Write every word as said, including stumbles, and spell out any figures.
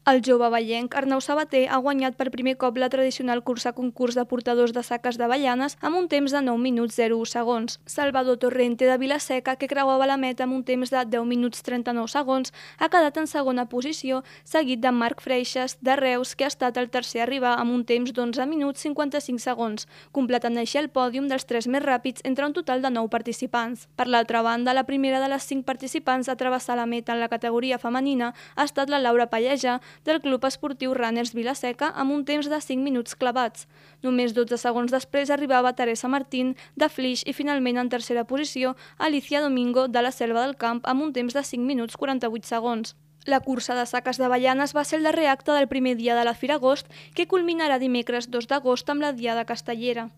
El jove vallenc Arnau Sabater ha guanyat per primer cop la tradicional cursa concurs de portadors de saques d'avellanes amb un temps de nou minuts zero u segons. Salvador Torrente de Vila-seca, que creuava la meta amb un temps de deu minuts trenta-nou segons, ha quedat en segona posició, seguit de Marc Freixas, de Reus, que ha estat el tercer a arribar amb un temps d'onze minuts cinquanta-cinc segons, completant així el pòdium dels tres més ràpids entre un total de nou participants. Per l'altra banda, la primera de les cinc participants a travessar la meta en la categoria femenina ha estat la Laura Pallejà, del Club Esportiu Runners Vila-seca, amb un temps de cinc minuts clavats. Només dotze segons després arribava Teresa Martín, de Flix, i finalment en tercera posició Alicia Domingo, de la Selva del Camp, amb un temps de cinc minuts quaranta-vuit segons. La cursa de saques d'avellanes va ser el darrer acte del primer dia de la Fira Agost, que culminarà dimecres dos d'agost amb la Diada Castellera.